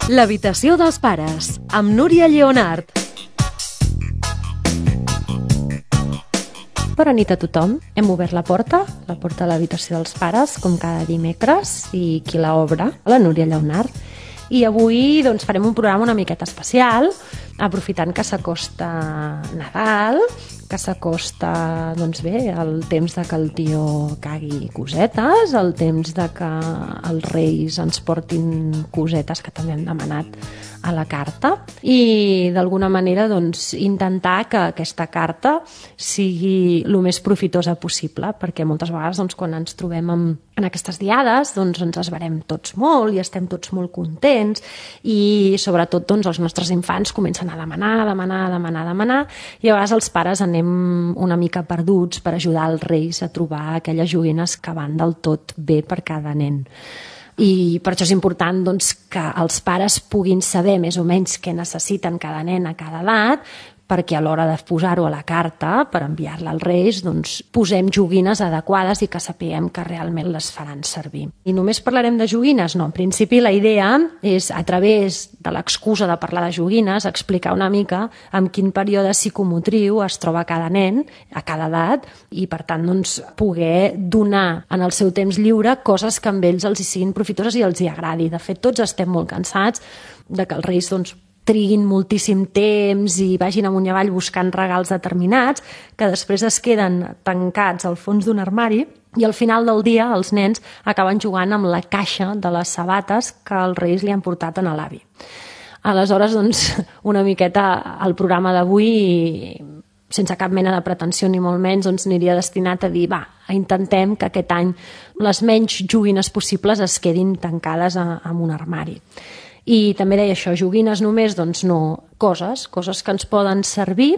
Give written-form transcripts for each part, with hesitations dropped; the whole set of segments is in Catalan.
L'habitació dels pares, amb Núria Lleonart. Bona nit a tothom. Hem obert la porta de l'habitació dels pares, com cada dimecres, i qui la obre? La Núria Lleonart. I avui farem un programa una miqueta especial, aprofitant que s'acosta Nadal, que s'acosta el temps de que el tio cagui cosetes, el temps de que els reis ens portin cosetes que també hem demanat a la carta, i d'alguna manera intentar que aquesta carta sigui el més profitosa possible, perquè moltes vegades quan ens trobem en aquestes diades ens esverem tots molt i estem tots molt contents, i sobretot els nostres infants comencen a demanar, i a vegades els pares anem una mica perduts per ajudar els reis a trobar aquelles joguines que van del tot bé per cada nen. I per això és important que els pares puguin saber més o menys què necessiten cada nen a cada edat, perquè a l'hora de posar-ho a la carta per enviar-la als reis posem joguines adequades i que sapiguem que realment les faran servir. I només parlarem de joguines? No, en principi la idea és, a través de l'excusa de parlar de joguines, explicar una mica en quin període psicomotriu es troba cada nen a cada edat, i per tant poder donar en el seu temps lliure coses que amb ells els hi siguin profitoses i els hi agradi. De fet, tots estem molt cansats de que els reis triguin moltíssim temps i vagin amunt i avall buscant regals determinats, que després es queden tancats al fons d'un armari, i al final del dia els nens acaben jugant amb la caixa de les sabates que els reis li han portat a l'avi. Aleshores, una miqueta el programa d'avui, sense cap mena de pretensió ni molt menys, aniria destinat a dir, intentem que aquest any les menys joguines possibles es quedin tancades en un armari. I també deia això, joguines només, no, coses que ens poden servir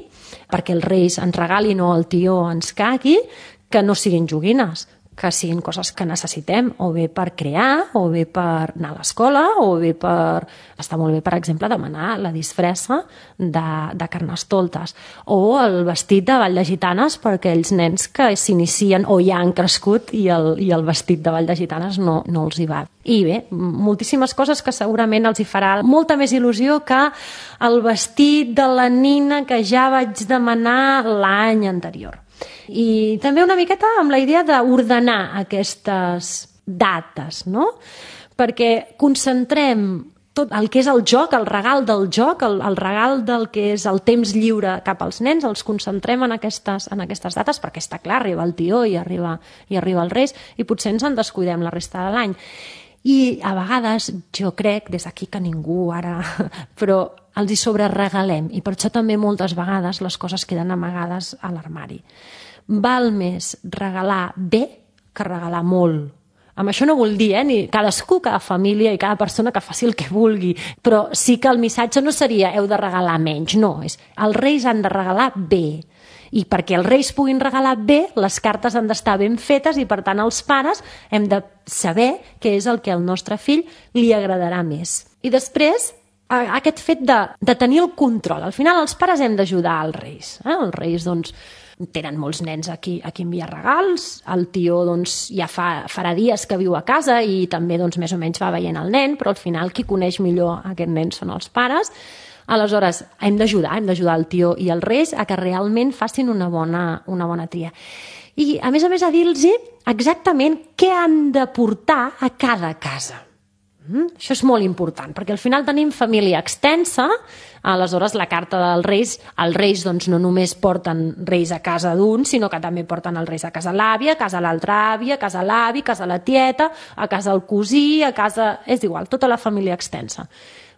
perquè els reis ens regalin o el tió ens cagui, que no siguin joguines, que siguin coses que necessitem, o bé per crear, o bé per anar a l'escola, o bé per... Està molt bé, per exemple, demanar la disfressa de Carnestoltes, o el vestit de Ball de Gitanes per aquells nens que s'inicien o ja han crescut i el vestit de Ball de Gitanes no els hi va. I bé, moltíssimes coses que segurament els hi farà molta més il·lusió que el vestit de la nina que ja vaig demanar l'any anterior. I també una miqueta amb la idea d'ordenar aquestes dates, no? Perquè concentrem tot el que és el joc, el regal del joc, el regal del que és el temps lliure cap als nens, els concentrem en aquestes dates, perquè està clar, arriba el tió i arriba els reis, i potser ens en descuidem la resta de l'any. I a vegades jo crec, des d'aquí que ningú ara, però els hi sobreregalem, i per això també moltes vegades les coses queden amagades a l'armari. Val més regalar bé que regalar molt. Amb això no vull dir, ni cadascú, cada família i cada persona que faci el que vulgui, però sí que el missatge no seria heu de regalar menys, no, és els reis han de regalar bé. I perquè els reis puguin regalar bé, les cartes han d'estar ben fetes, i per tant els pares hem de saber què és el que al nostre fill li agradarà més. I després, aquest fet de tenir el control. Al final els pares hem d'ajudar als reis. Els reis tenen molts nens a qui enviar regals, el tió ja farà dies que viu a casa i també més o menys va veient el nen, però al final qui coneix millor aquest nen són els pares. Aleshores, hem d'ajudar el tió i els reis a que realment facin una bona tria. I, a més, a dir-los exactament què han de portar a cada casa. Això és molt important, perquè al final tenim família extensa, aleshores la carta dels reis, els reis no només porten reis a casa d'un, sinó que també porten els reis a casa l'àvia, a casa l'altra àvia, a casa l'avi, a casa la tieta, a casa el cosí, a casa... És igual, tota la família extensa.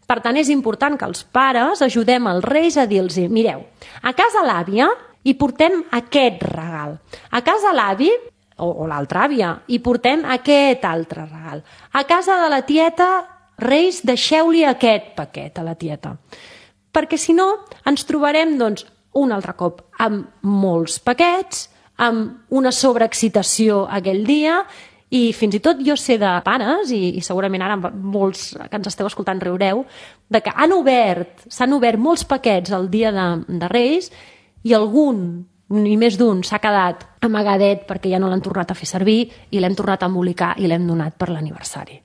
Per tant, és important que els pares ajudem els reis a dir-los, mireu, a casa l'àvia hi portem aquest regal, a casa l'avi o l'altra àvia hi portem aquest altre regal, a casa de la tieta, reis, deixeu-li aquest paquet a la tieta. Perquè si no ens trobarem un altre cop amb molts paquets, amb una sobreexcitació aquell dia. I fins i tot jo sé de pares, i segurament ara molts que ens esteu escoltant riureu, de que s'han obert molts paquets el dia de Reis, i algun, ni més d'un, s'ha quedat amagadet perquè ja no l'han tornat a fer servir i l'hem tornat a embolicar i l'hem donat per l'aniversari.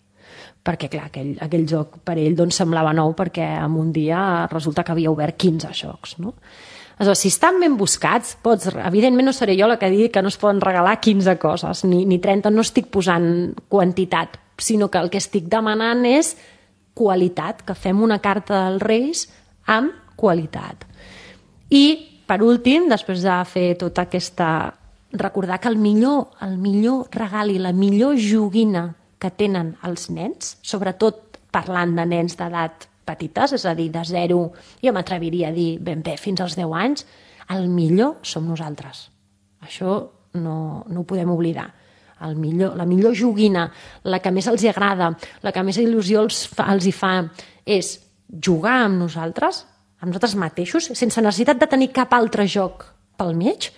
perquè clar, aquell joc per ell doncs, semblava nou perquè en un dia resulta que havia obert 15 jocs, no? Aleshores, si estan ben buscats, evidentment no seré jo la que digui que no es poden regalar 15 coses, ni 30, no estic posant quantitat, sinó que el que estic demanant és qualitat, que fem una carta dels Reis amb qualitat. I, per últim, després de fer tota aquesta... recordar que el millor regal i la millor joguina que tenen els nens, sobretot parlant de nens d'edat petites, és a dir, de 0, jo m'atreviria a dir ben bé fins als 10 anys, el millor som nosaltres. Això no ho podem oblidar. La millor joguina, la que més els agrada, la que més il·lusió els hi fa, és jugar amb nosaltres mateixos, sense necessitat de tenir cap altre joc pel mig,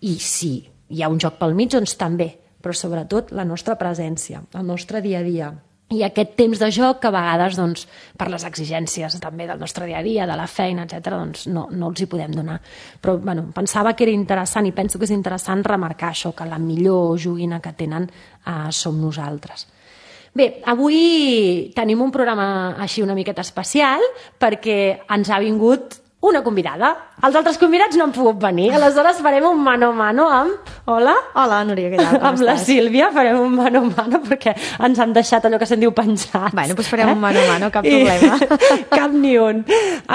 i si hi ha un joc pel mig, doncs també, però sobretot la nostra presència, el nostre dia a dia. I aquest temps de joc que a vegades, doncs, per les exigències també del nostre dia a dia, de la feina, etc., doncs no els hi podem donar. Però bueno, pensava que era interessant i penso que és interessant remarcar això, que la millor joguina que tenen som nosaltres. Bé, avui tenim un programa així una miqueta especial perquè ens ha vingut una convidada. Els altres convidats no han pogut venir, aleshores farem un mano a mano amb... Hola? Hola, Núria, què tal? Amb la Sílvia farem un mano a mano perquè ens han deixat allò que se'n diu penjats. Bueno, doncs farem un mano a mano, cap problema. Cap ni un.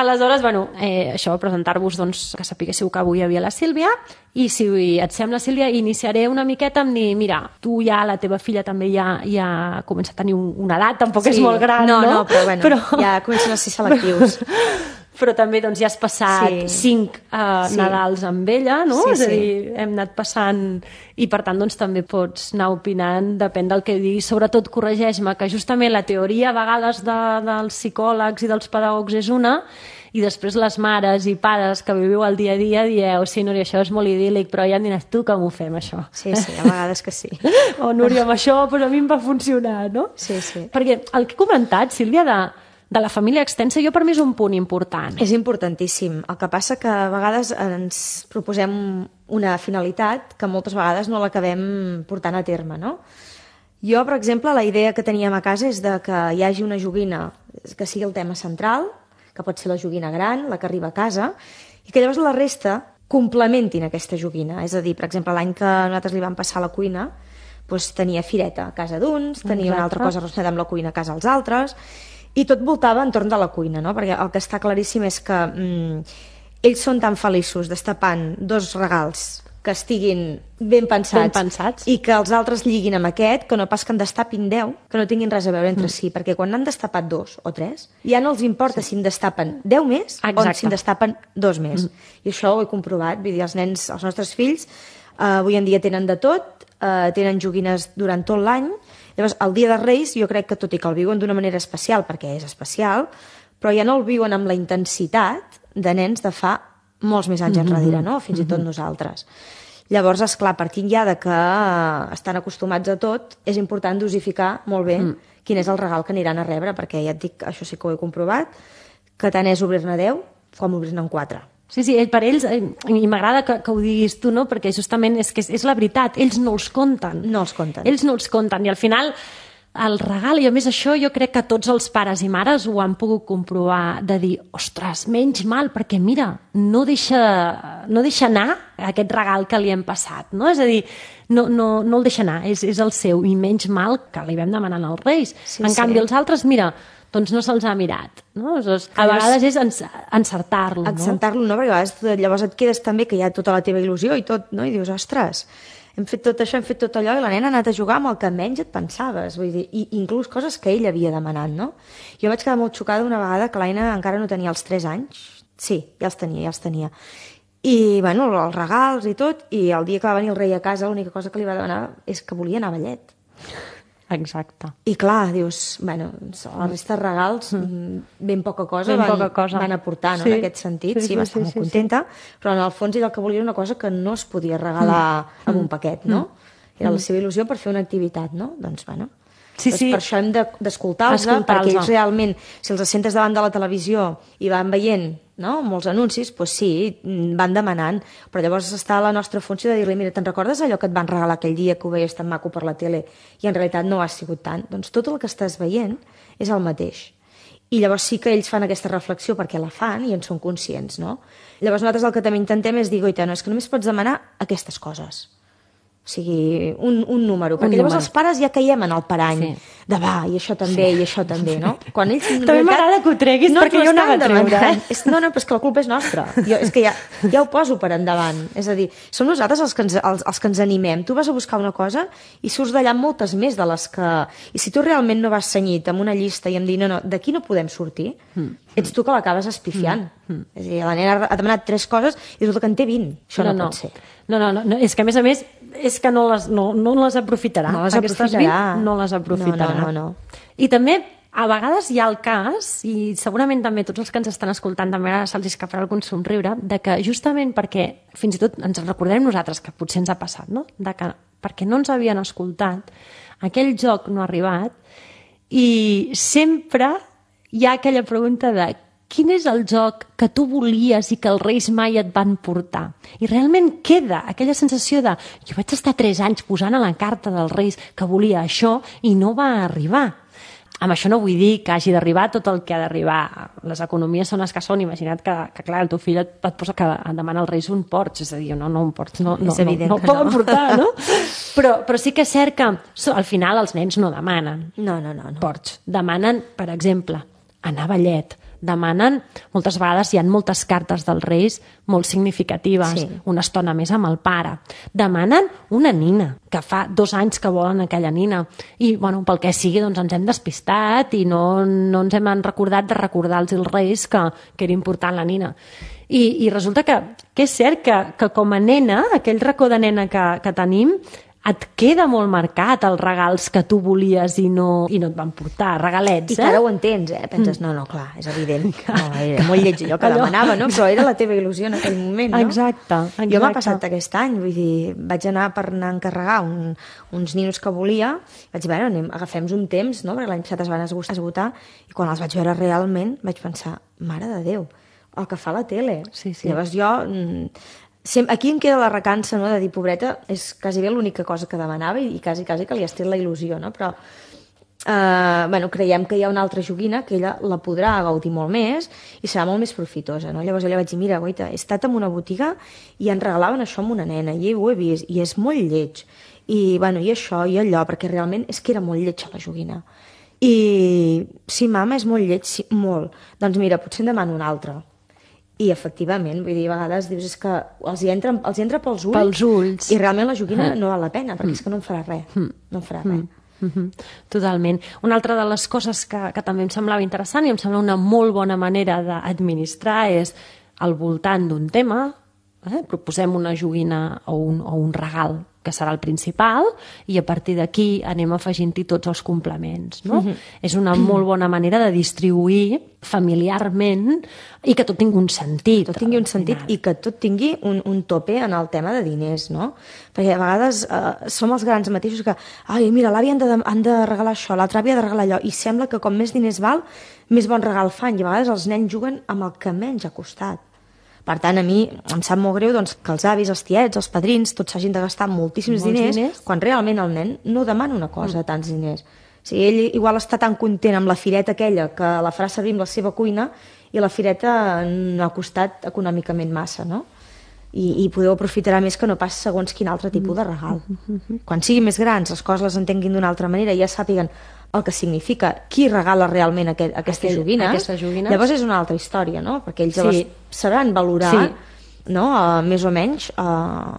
Aleshores, bueno, això, presentar-vos, doncs, que sapiguéssiu que avui hi havia la Sílvia, i si et sembla, Sílvia, iniciaré una miqueta amb dir, mira, tu ja, la teva filla també ja comença a tenir una edat, tampoc és molt gran, no? No, però bueno, ja comencen a ser selectius. Però també doncs, ja has passat 5 Nadals amb ella, no? Sí, és a dir, hem anat passant i per tant doncs, també pots anar opinant, depèn del que diguis. Sobretot corregeix-me que justament la teoria a vegades dels psicòlegs i dels pedagogs és una, i després les mares i pares que viviu el dia a dia dieu, sí, Núria, això és molt idíl·lic, però ja em diràs tu com ho fem, això. Sí, a vegades que sí. O Núria, amb això però a mi em va funcionar, no? Sí. Perquè el que he comentat, Sílvia, de la família extensa, jo per mi és un punt important. És importantíssim. El que passa que a vegades ens proposem una finalitat que moltes vegades no l'acabem portant a terme, no? Jo, per exemple, la idea que teníem a casa és de que hi hagi una joguina que sigui el tema central, que pot ser la joguina gran, la que arriba a casa, i que llavors la resta complementin aquesta joguina. És a dir, per exemple, l'any que nosaltres li vam passar a la cuina, doncs tenia fireta a casa d'uns, tenia una altra cosa relacionada amb la cuina a casa dels altres, i tot voltava entorn de la cuina, no? Perquè el que està claríssim és que ells són tan feliços destapant 2 regals que estiguin ben pensats i que els altres lliguin amb aquest, que no pas que en destapin 10, que no tinguin res a veure entre si, perquè quan n'han destapat 2 o 3, ja no els importa si en destapen 10 més o si en destapen 2 més. I això ho he comprovat, vull dir, els nens, els nostres fills, avui en dia tenen de tot, tenen joguines durant tot l'any. Llavors, el dia de Reis, jo crec que tot i que el viuen d'una manera especial, perquè és especial, però ja no el viuen amb la intensitat de nens de fa molts més anys enrere, no? Fins i tot nosaltres. Llavors, esclar, partint ja de que estan acostumats a tot, és important dosificar molt bé quin és el regal que aniran a rebre, perquè ja et dic, això sí que ho he comprovat, que tant és obrir-ne 10 com obrir-ne 4. Sí, per ells, i m'agrada que ho diguis tu, no? Perquè justament és la veritat, ells no els compten. No els compten. Ells no els compten, i al final el regal, i a més això jo crec que tots els pares i mares ho han pogut comprovar, de dir, ostres, menys mal, perquè mira, no deixa anar aquest regal que li hem passat, no? És a dir, no el deixa anar, és el seu, i menys mal que li vam demanar als Reis. En canvi, els altres, mira, doncs no se'ls ha mirat, no? A vegades és encertar-lo, no? Encertar-lo, no? Perquè a vegades llavors et quedes també que hi ha tota la teva il·lusió i tot, no? I dius, ostres, hem fet tot això, hem fet tot allò, i la nena ha anat a jugar amb el que menys et pensaves, vull dir, i inclús coses que ell havia demanat, no? Jo vaig quedar molt xocada una vegada que l'Aina encara no tenia els 3 anys, sí, ja els tenia, i, bueno, els regals i tot, i el dia que va venir el rei a casa l'única cosa que li va demanar és que volia anar a ballet. Exacte. I clar, dius, bueno, la resta de regals ben poca cosa van aportar, no? En aquest sentit, sí, va estar molt contenta, però en el fons ell el que volia era una cosa que no es podia regalar amb un paquet, no? Era la seva il·lusió per fer una activitat, no? Doncs, bueno, Sí, sí. Per això hem d'escoltar-los, perquè ells realment, si els sentes davant de la televisió i van veient, no?, molts anuncis, doncs sí, van demanant, però llavors està la nostra funció de dir-li, mira, te'n recordes allò que et van regalar aquell dia que ho veies tan maco per la tele i en realitat no ha sigut tant? Doncs tot el que estàs veient és el mateix. I llavors sí que ells fan aquesta reflexió perquè la fan i en són conscients, no? Llavors nosaltres el que també intentem és dir, goita, no, és que només pots demanar aquestes coses. O sigui, un número, perquè llavors els pares ja caiem en el parany de va, i això també, i això també, no? Quan ells, també m'agrada que ho treguis perquè jo anava a treure. No, però és que la culpa és nostra. És que ja ho poso per endavant. És a dir, som nosaltres els que ens animem. Tu vas a buscar una cosa i surts d'allà amb moltes més de les que... I si tu realment no vas cenyit amb una llista i em dir, no, d'aquí no podem sortir, ets tu que l'acabes espifiant. És a dir, la nena ha demanat 3 coses i resulta que en té 20. Això no pot ser. No, és que a més és que no les aprofitarà. No les aprofitarà. No les aprofitarà. No. I també, a vegades hi ha el cas, i segurament també tots els que ens estan escoltant també ara se'ls escaparà algun somriure, de que justament perquè, fins i tot ens recordem nosaltres, que potser ens ha passat, no?, de que perquè no ens havien escoltat, aquell joc no ha arribat, i sempre hi ha aquella pregunta de quin és el joc que tu volies i que els Reis mai et van portar? I realment queda aquella sensació de jo vaig estar 3 anys posant a la carta dels Reis que volia això i no va arribar. Amb això no vull dir que hagi d'arribar tot el que ha d'arribar. Les economies són les que són. Imagina't que clar, el teu fill et posa que demana als Reis un Porsche. És a dir, no un Porsche, no el poden portar, no? Però sí que és cert que al final els nens no demanen Porsche. Demanen, per exemple, anar a ballet. Demanen, moltes vegades hi ha moltes cartes dels Reis molt significatives, una estona més amb el pare. Demanen una nina, que fa 2 anys que volen aquella nina. I, bueno, pel que sigui, doncs ens hem despistat i no ens hem recordat de recordar-los als Reis que era important la nina. I resulta que és cert que com a nena, aquell racó de nena que tenim, et queda molt marcat els regals que tu volies i no et van portar, regalets, I que ara ho entens, Penses, no, clar, és evident. Era molt lleig allò que demanava, no? Però era la teva il·lusió en aquell moment, no? Exacte. Jo m'ha passat aquest any, vull dir, vaig anar per anar a encarregar uns ninos que volia, vaig dir, bueno, agafem un temps, no? Perquè l'any passat es van esgotar, i quan els vaig veure realment vaig pensar, mare de Déu, el que fa la tele. Sí. Llavors jo... Aquí em queda la recança, no?, de dir, pobreta, és quasi bé l'única cosa que demanava i quasi que li has tret la il·lusió, no? Però creiem que hi ha una altra joguina que ella la podrà gaudir molt més i serà molt més profitosa, no? Llavors ella vaig dir, mira, goita, he estat en una botiga i en regalaven això amb una nena i ho he vist i és molt lleig i això i allò, perquè realment és que era molt lletja la joguina. I sí, mama, és molt lleig, sí, molt. Doncs mira, potser en demano una altra. I efectivament, vull dir, a vegades dius és que els hi entra pels ulls i realment la joguina no val la pena perquè és que no em farà res, no em farà res. Totalment. Una altra de les coses que també em semblava interessant i em sembla una molt bona manera d'administrar és al voltant d'un tema, proposem una joguina o un regal que serà el principal i a partir d'aquí anem afegint-hi tots els complements, no? És una molt bona manera de distribuir familiarment i que tot tingui un sentit. Tot tingui un sentit i que tot tingui un tope en el tema de diners, no? Perquè a vegades som els grans mateixos que ai, mira, l'àvia han de regalar això, l'altra àvia ha de regalar allò, i sembla que com més diners val, més bon regal fan, i a vegades els nens juguen amb el que menys ha costat. Per tant, a mi em sap molt greu doncs, que els avis, els tiets, els padrins, tots s'hagin de gastar moltíssims diners quan realment el nen no demana una cosa, tants diners. O sigui, ell igual està tan content amb la fireta aquella que la farà servir amb la seva cuina i la fireta no ha costat econòmicament massa, no? I podeu aprofitarà més que no pas segons quin altre tipus de regal. Quan siguin més grans, les coses les entenguin d'una altra manera i ja sàpiguen el que significa qui regala realment aquestes joguines, llavors és una altra història, no? Perquè ells llavors sabran valorar no? Més o menys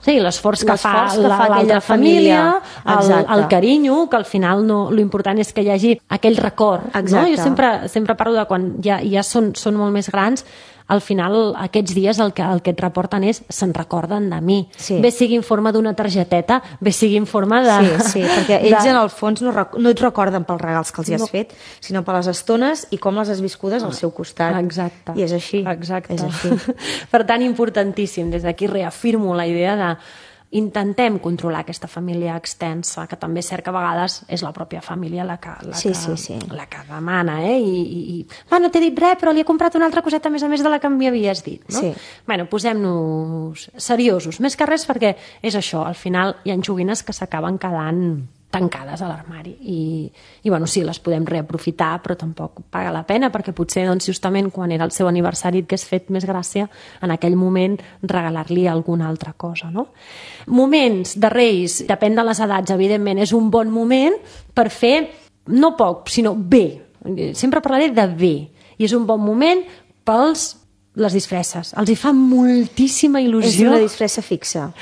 l'esforç que fa l'altra família, el carinyo, que al final l'important és que hi hagi aquell record, no? Jo sempre parlo de quan ja són molt més grans, al final aquests dies el que et reporten és se'n recorden de mi, bé sigui en forma d'una targeteta, bé sigui en forma de... Sí, perquè ells en el fons no et recorden pels regals que els hi has fet, sinó per les estones i com les has viscudes al seu costat. Exacte. I és així. Exacte. És així. Per tant, importantíssim, des d'aquí reafirmo la idea de intentem controlar aquesta família extensa, que també és cert que a vegades és la pròpia família la que demana, no t'he dit res, però li he comprat una altra coseta a més de la que m'hi havies dit, no? Sí. Bueno, posem-nos seriosos, més que res perquè és això, al final hi ha joguines que s'acaben quedant tancades a l'armari i bueno, sí, les podem reaprofitar, però tampoc paga la pena, perquè potser doncs, justament quan era el seu aniversari et hagués fet més gràcia en aquell moment regalar-li alguna altra cosa, no? Moments de Reis, depèn de les edats, evidentment, és un bon moment per fer no poc, sinó bé. Sempre parlaré de bé, i és un bon moment pels les disfresses. Els hi fa moltíssima il·lusió. És una disfressa fixa.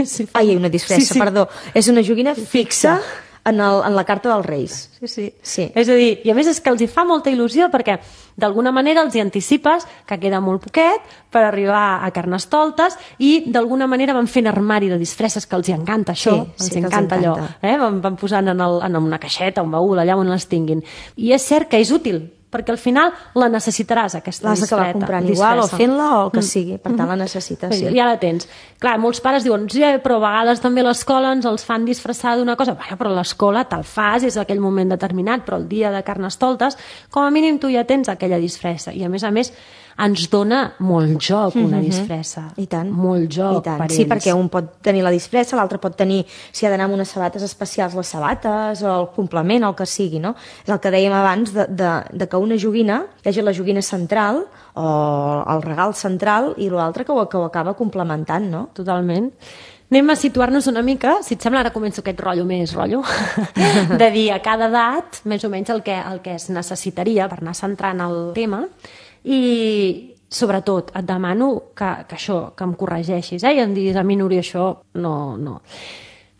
Sí, una disfressa, perdó. És una joguina fixa en la carta dels Reis. Sí. És a dir, i a més és que els hi fa molta il·lusió perquè d'alguna manera els hi anticipes que queda molt poquet per arribar a Carnestoltes i d'alguna manera van fent armari de disfresses, que els hi encanta això, els encanta allò. Van posant en una caixeta, un baúl, allà on les tinguin. I és cert que és útil, perquè al final la necessitaràs, aquesta disfressa. L'has d'acabar comprant igual o fent-la o el que sigui, per tant la necessites. Sí. Ja la tens. Clar, molts pares diuen, sí, però a vegades també a l'escola ens els fan disfressar d'una cosa. Bueno, però a l'escola te'l fas, és aquell moment determinat, però el dia de Carnestoltes, com a mínim tu ja tens aquella disfressa. I a més, ens dona molt joc una disfressa. I tant. Molt joc per ells. Sí, perquè un pot tenir la disfressa, l'altre pot tenir, si ha d'anar amb unes sabates especials, les sabates, o el complement, o el que sigui, no? És el que dèiem abans de que una joguina, hi hagi la joguina central, o el regal central, i l'altre que ho acaba complementant, no? Totalment. Anem a situar-nos una mica, si et sembla, ara començo aquest rotllo, de dir a cada edat, més o menys el que es necessitaria per anar centrant el tema, i sobretot et demano que em corregeixis, i em diguis a mi, Núria, això no.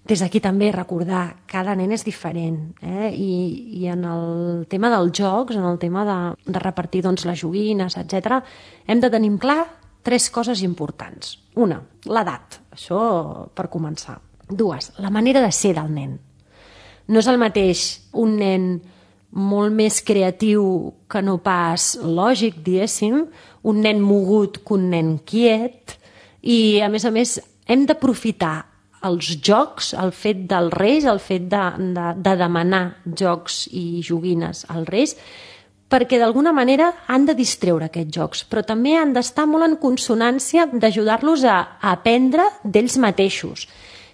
Des d'aquí també recordar, cada nen és diferent, i en el tema dels jocs, en el tema de repartir doncs, les joguines, etc., hem de tenir clar 3 coses importants. 1, l'edat, això per començar. 2, la manera de ser del nen. No és el mateix un nen molt més creatiu que no pas lògic, diguéssim, un nen mogut que un nen quiet, i a més hem d'aprofitar els jocs, el fet dels Reis, el fet de demanar jocs i joguines als Reis, perquè d'alguna manera han de distreure aquests jocs, però també han d'estar molt en consonància d'ajudar-los a aprendre d'ells mateixos.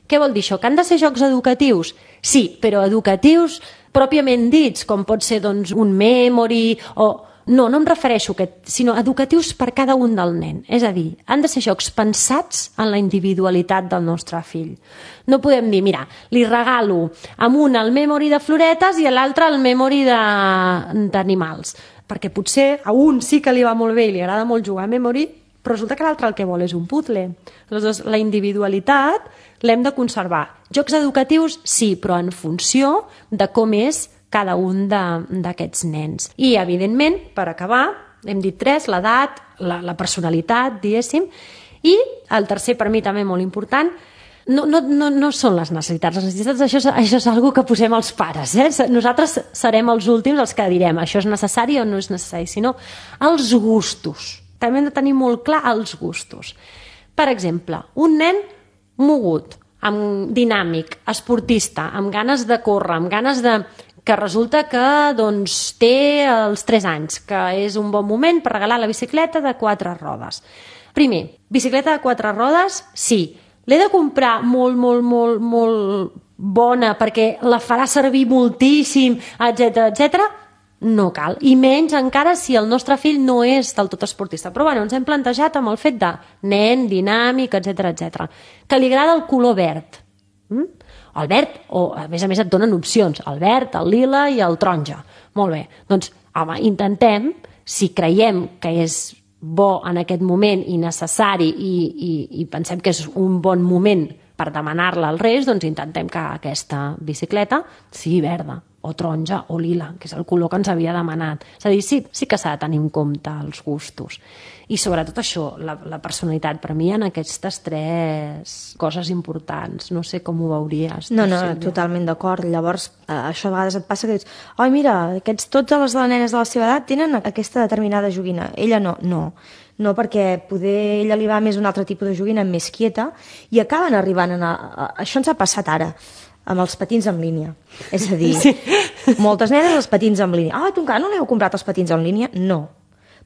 Què vol dir això? Que han de ser jocs educatius? Sí, però educatius pròpiament dits, com pot ser doncs, un memory o... No em refereixo a aquest, sinó educatius per cada un del nen. És a dir, han de ser jocs pensats en la individualitat del nostre fill. No podem dir, mira, li regalo amb un el memory de floretes i a l'altre el memory d'animals. Perquè potser a un sí que li va molt bé i li agrada molt jugar a memory, però resulta que l'altre el que vol és un puzzle. Aleshores, la individualitat l'hem de conservar. Jocs educatius, sí, però en funció de com és cada un d'aquests nens. I, evidentment, per acabar, hem dit 3, l'edat, la personalitat, diguéssim, i el tercer, per mi també molt important, no són les necessitats. Les necessitats, això és una que posem els pares. Nosaltres serem els últims els que direm això és necessari o no és necessari, sinó els gustos. També hem de tenir molt clar els gustos. Per exemple, un nen mogut, dinàmic, esportista, amb ganes de córrer, amb ganes que resulta que doncs, té els 3 anys, que és un bon moment per regalar la bicicleta de 4 rodes. Primer, bicicleta de 4 rodes, sí. L'he de comprar molt bona perquè la farà servir moltíssim, etc. No cal. I menys encara si el nostre fill no és del tot esportista. Però bueno, ens hem plantejat amb el fet de nen, dinàmic, etc. Que li agrada el color verd. El verd, o a més et donen opcions, el verd, el lila i el taronja. Molt bé, doncs home, intentem, si creiem que és bo en aquest moment i necessari i pensem que és un bon moment per demanar-la als Reis, doncs intentem que aquesta bicicleta sigui verda, o taronja, o lila, que és el color que ens havia demanat. És a dir, sí que s'ha de tenir en compte els gustos. I sobretot això, la personalitat, per mi, en aquestes 3 coses importants. No sé com ho veuries. No, totalment d'acord. Llavors, això a vegades et passa que dius, oi, mira, totes les nenes de la seva edat tenen aquesta determinada joguina. Ella no. no? Perquè poder ella li va més un altre tipus de joguina més quieta i acaben arribant això ens ha passat ara amb els patins en línia, és a dir, moltes nenes els patins en línia, tu encara no li heu comprat els patins en línia? No.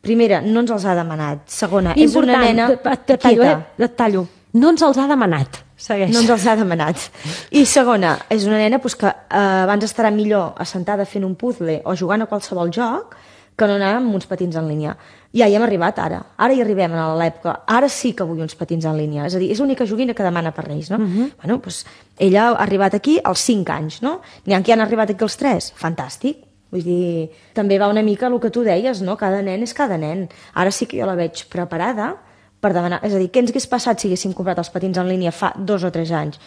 Primera, no ens els ha demanat. Segona, és una nena quieta. Et tallo. No ens els ha demanat. Segueix. No ens els ha demanat. I segona, és una nena que abans estarà millor assentada fent un puzzle o jugant a qualsevol joc que no anar amb uns patins en línia. Ja hi hem arribat ara. Ara hi arribem a l'època. Ara sí que vull uns patins en línia. És a dir, és l'única joguina que demana per Reis, no? Bueno, doncs ella ha arribat aquí als 5 anys, no? N'hi ha qui han arribat aquí als 3. Fantàstic. Vull dir, també va una mica el que tu deies, no? Cada nen és cada nen. Ara sí que jo la veig preparada per demanar... És a dir, què ens hagués passat si haguéssim comprat els patins en línia fa 2 o 3 anys?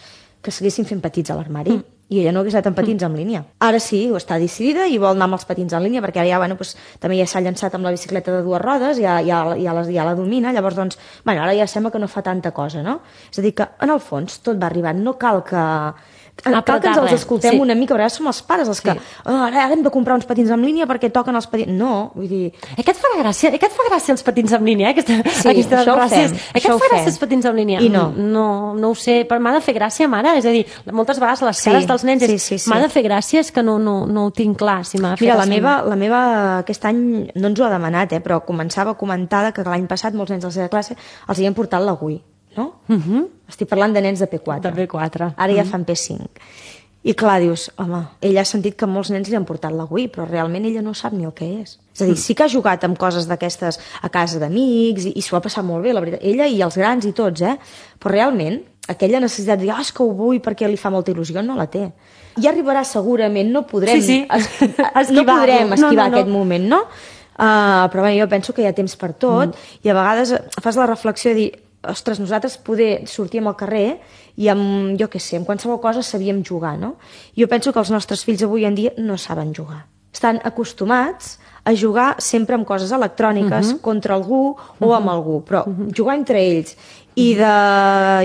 Que s'haguessin fent petits a l'armari i ella no hagués anat amb patins en línia. Ara sí, està decidida i vol anar amb els patins en línia perquè ara ja, bueno, doncs, també ja s'ha llançat amb la bicicleta de 2 rodes, ja la domina, llavors, doncs, bueno, ara ja sembla que no fa tanta cosa, no? És a dir, que en el fons tot va arribant, no cal que... Cal que ens els escoltem una mica, perquè som els pares els que ara hem de comprar uns patins en línia perquè toquen els patins... No, vull dir... Què et fa gràcia els patins en línia? Sí, això ho fem. Què et fa gràcia els patins en línia? I no. No ho sé, però m'ha de fer gràcia, mare. És a dir, moltes vegades les cares dels nens m'ha de fer gràcia, és que no ho tinc clar, si m'ha de fer gràcia. Mira, la meva aquest any no ens ho ha demanat, però començava a comentar que l'any passat molts nens de la seva classe els havien portat la Wii. No? Estic parlant de nens de P4. De P4. Ara ja fan P5. I clar, dius, home, ella ha sentit que molts nens li han portat la Wii, però realment ella no sap ni el que és. És a dir, sí que ha jugat amb coses d'aquestes a casa d'amics i s'ho ha passat molt bé, la veritat. Ella i els grans i tots, però realment aquella necessitat de dir, és que ho vull perquè li fa molta il·lusió, no la té. Ja arribarà segurament, no podrem esquivar aquest moment, no? Però bé, jo penso que hi ha temps per tot i a vegades fas la reflexió de dir, ostres, nosaltres poder sortir al carrer i amb, jo què sé, amb qualsevol cosa sabíem jugar, no? Jo penso que els nostres fills avui en dia no saben jugar. Estan acostumats a jugar sempre amb coses electròniques contra algú o amb algú, però jugar entre ells i de,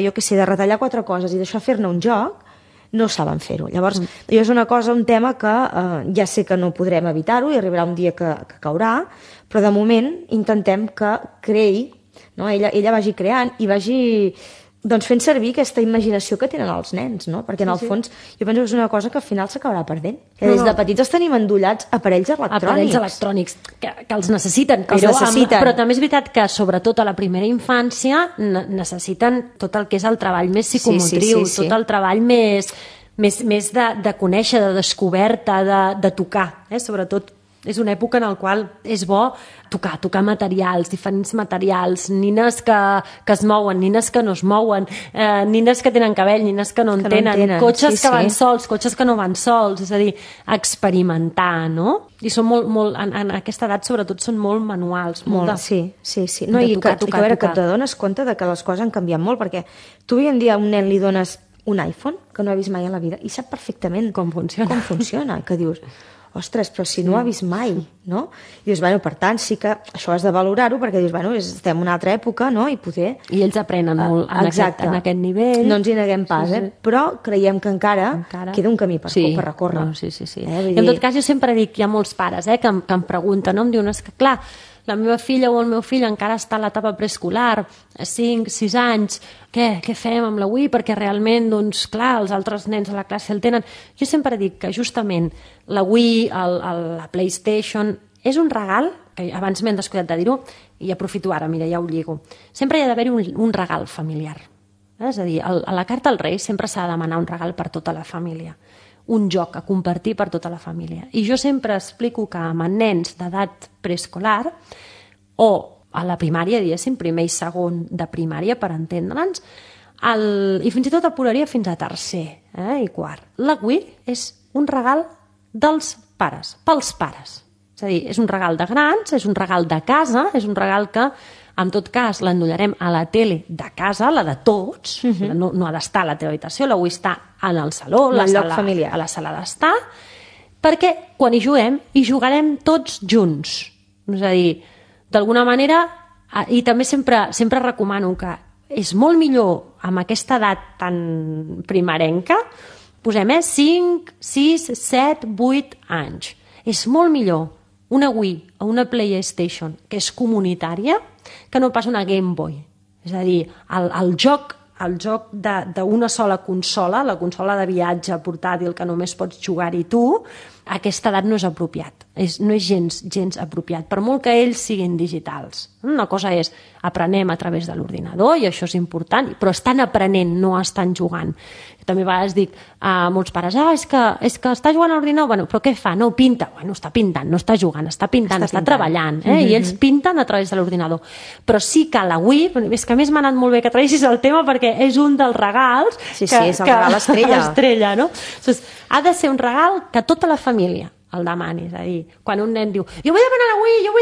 jo què sé, de retallar 4 coses i d'això fer-ne un joc, no saben fer-ho. Llavors, jo és una cosa, un tema que ja sé que no podrem evitar-ho i arribarà un dia que caurà, però de moment intentem que creï, no? Ella vagi creant i vagi doncs, fent servir aquesta imaginació que tenen els nens, no? Perquè en el fons jo penso que és una cosa que al final s'acabarà perdent. Que des de petits els tenim endollats aparells electrònics. Aparells electrònics, que els necessiten. Però també és veritat que sobretot a la primera infància necessiten tot el que és el treball més psicomotriu, tot el treball més de conèixer, de descoberta, de tocar, sobretot. És una època en la qual és bo tocar materials, diferents materials, nines que es mouen, nines que no es mouen, nines que tenen cabell, nines que no en tenen, cotxes que van sols, cotxes que no van sols, és a dir, experimentar, no? I són molt, en aquesta edat sobretot són molt manuals. Sí. No, i que t'adones compte que les coses han canviat molt, perquè tu avui en dia a un nen li dones un iPhone que no ha vist mai en la vida i sap perfectament com funciona, que dius... Ostres, però si no ho ha vist mai, no? I dius, bueno, per tant, sí que això has de valorar-ho perquè dius, bueno, estem en una altra època, no? I poder... I ells aprenen molt en aquest nivell. No ens hi neguem pas, però creiem que encara queda un camí per recórrer. Sí. I en tot cas, jo sempre dic, hi ha molts pares que em pregunten, no? Em diuen, és que clar, la meva filla o el meu fill encara està a l'etapa preescolar, a 5, 6 anys, què fem amb la Wii? Perquè realment, doncs, clar, els altres nens a la classe el tenen. Jo sempre dic que justament la Wii, la PlayStation, és un regal, que abans m'he descuidat de dir-ho, i aprofito ara, mira, ja ho lligo. Sempre hi ha d'haver-hi un regal familiar. És a dir, a la carta als Reis sempre s'ha de demanar un regal per tota la família. Un joc a compartir per tota la família. I jo sempre explico que amb nens d'edat preescolar o a la primària, diguéssim, primer i segon de primària, per entendre'ns, i fins i tot apuraria fins a tercer i quart. La Wii és un regal dels pares, pels pares. És a dir, és un regal de grans, és un regal de casa, és un regal que en tot cas l'endollarem a la tele de casa, la de tots, no ha d'estar a la teva habitació, la Wii està en el saló, a la sala d'estar, perquè quan hi juguem, hi jugarem tots junts. És a dir, d'alguna manera, i també sempre recomano que és molt millor amb aquesta edat tan primerenca, posem 5, 6, 7, 8 anys. És molt millor una Wii o una PlayStation que és comunitària, que no pas una Game Boy. És a dir, el joc d'una sola consola, la consola de viatge portàtil que només pots jugar-hi tu, a aquesta edat no és apropiat. No és gens apropiat, per molt que ells siguin digitals. Una cosa és, aprenem a través de l'ordinador, i això és important, però estan aprenent, no estan jugant. També a vegades dic a molts pares, és que està jugant a l'ordinador, bueno, però què fa? No, pinta. Bueno, està pintant, no està jugant, està pintant, està treballant, i ells pinten a través de l'ordinador. Però sí que la Wii, és que a més m'ha anat molt bé que traguessis el tema perquè és un dels regals és el regal estrella, no? Ha de ser un regal que tota la família el demani, és a dir, quan un nen diu jo vull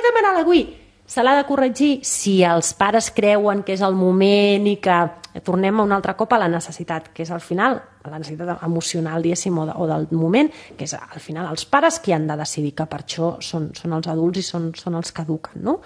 demanar la Wii, se l'ha de corregir si els pares creuen que és el moment i que tornem un altre cop a la necessitat, que és al final la necessitat emocional, diguéssim, o del moment, que és al final els pares qui han de decidir, que per això són els adults i són els que eduquen, no?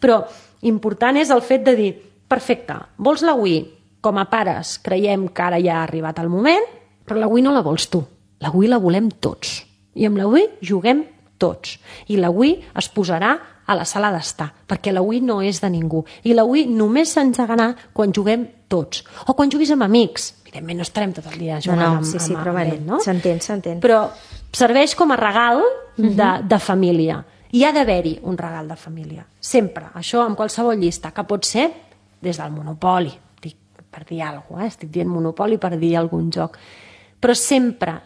Però important és el fet de dir, perfecte, vols la Wii? Com a pares creiem que ara ja ha arribat el moment, però la Wii no la vols tu, la Wii la volem tots. I amb la Wii juguem tots. I la Wii es posarà a la sala d'estar, perquè la Wii no és de ningú. I la Wii només s'engegarà quan juguem tots. O quan juguis amb amics. Evidentment no estarem tot el dia jugant amb però amics, no? S'entén. Però serveix com a regal de família. I ha d'haver-hi un regal de família. Sempre. Això amb qualsevol llista, que pot ser des del Monopoli. Per dir alguna cosa, estic dient Monopoli per dir algun joc. Però sempre,